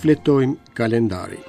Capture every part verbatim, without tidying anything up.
Shfletojmë kalendarin.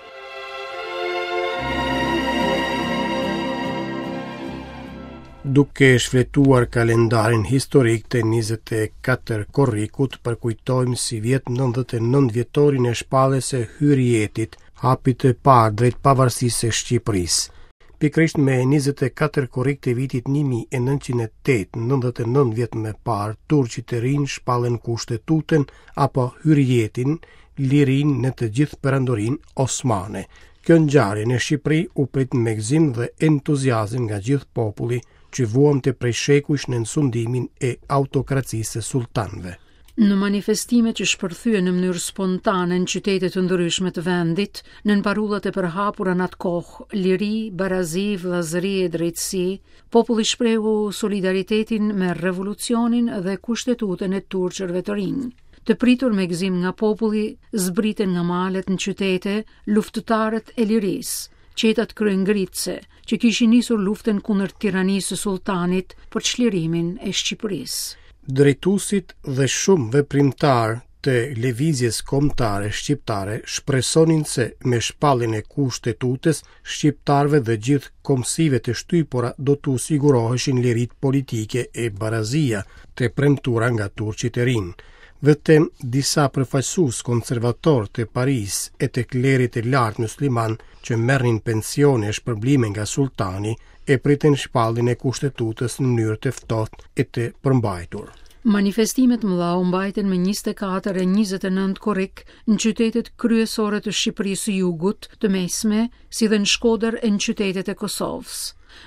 Duke shfletuar kalendarin historik të njëzet e katër korrikut, përkujtojmë sivjet nëntëdhjetë e nëntë vjetorin e shpalljes së Hyrrijetit, hapit të parë drejt pavarësisë së Shqipërisë. Pikërisht me njëzet e katër korrik të vitit një mijë e nëntëqind e tetë, nëntëdhjetë e nëntë vjet më parë, turqit të rinj shpallën kushtetutën apo Hyrrijetin, lirinë në të gjithë perandorinë osmane. Kjo ngjarje në Shqipëri u prit me gëzim dhe entuziazëm nga gjithë populli që vuante prej shekujsh në sundimin e autokracisë së sultanëve. Në manifestime që shpërthyen në mënyrë spontane në qytete të ndryshme të vendit, nën parullat e përhapura në atë kohë, liri, barazi, vëllazëri e drejtësi, populli shprehu solidaritetin me revolucionin dhe kushtetutën e turqërve të rinj. Të pritur me gëzim nga populli, zbritën nga malet në qytete luftëtarët e lirisë, qetat kryengritëse që kishin nisur luftën kundër tiranisë së sultanit për çlirimin e Shqipërisë. Drejtuesit dhe shumë veprimtarë të lëvizjes kombëtare shqiptare shpresonin se me shpalljen e kushtetutës shqiptarëve dhe gjithë kombësive të shtypura do t'u siguroheshin liritë politike e barazia të premtuara nga turqit e rinj. Vetëm disa përfaqësues konservatorë të Paris e të klerit të lartë musliman që merrnin pensione e shpërblime nga sultani e pritën shpalljen e kushtetutës në mënyrë të ftohtë e të përmbajtur. Manifestimet mëdha u mbajtën me njëzet e katër e njëzet e nëntë korrik në qytetet kryesore të Shqipërisë së Jugut, të Mesme, si dhe në Shkodër e në qytetet e Kosovës.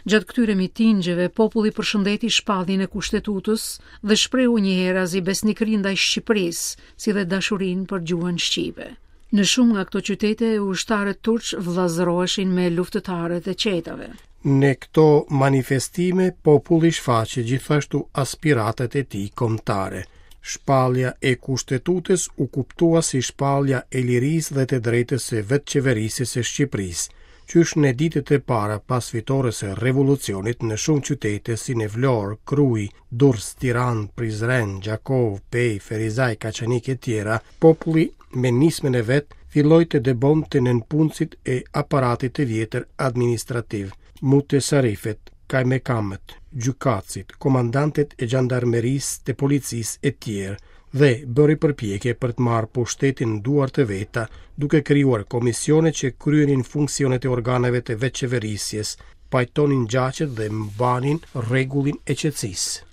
Gjatë këtyre mitingjeve, populli përshëndeti shpalljen e kushtetutës dhe shprehu njëherazi besnikërinë ndaj Shqipërisë, si dhe dashurinë për gjuhën shqipe. Në shumë nga këto qytete, ushtarët turq vllazëroheshin me luftëtarët e qetave. Në këto manifestime, populli shfaqe gjithashtu aspiratat e tij kombëtare. Shpallja e kushtetutës u kuptua si shpallja e lirisë dhe të drejtës së vetëqeverisjes së Shqipërisë. Qysh në ditët e para pas fitores së revolucionit në shumë qytete si në Vlorë, Krujë, Durrës, Tiranë, Prizren, Gjakovë, Pejë, Ferizaj, Kaçanik e tjera, populli me nismën e vet filloi të dëbonte nënpunësit e aparatit të vjetër administrativ, mutesarifet, kajmekamët, gjykatësit, komandantët e xhandarmerisë, të policisë e tjerë, dhe bëri përpjekje për të marrë pushtetin në duar të veta, duke krijuar komisione që kryenin funksionet e organeve të vetëqeverisjes, pajtonin gjaqet dhe mbanin rregullin e qetësisë.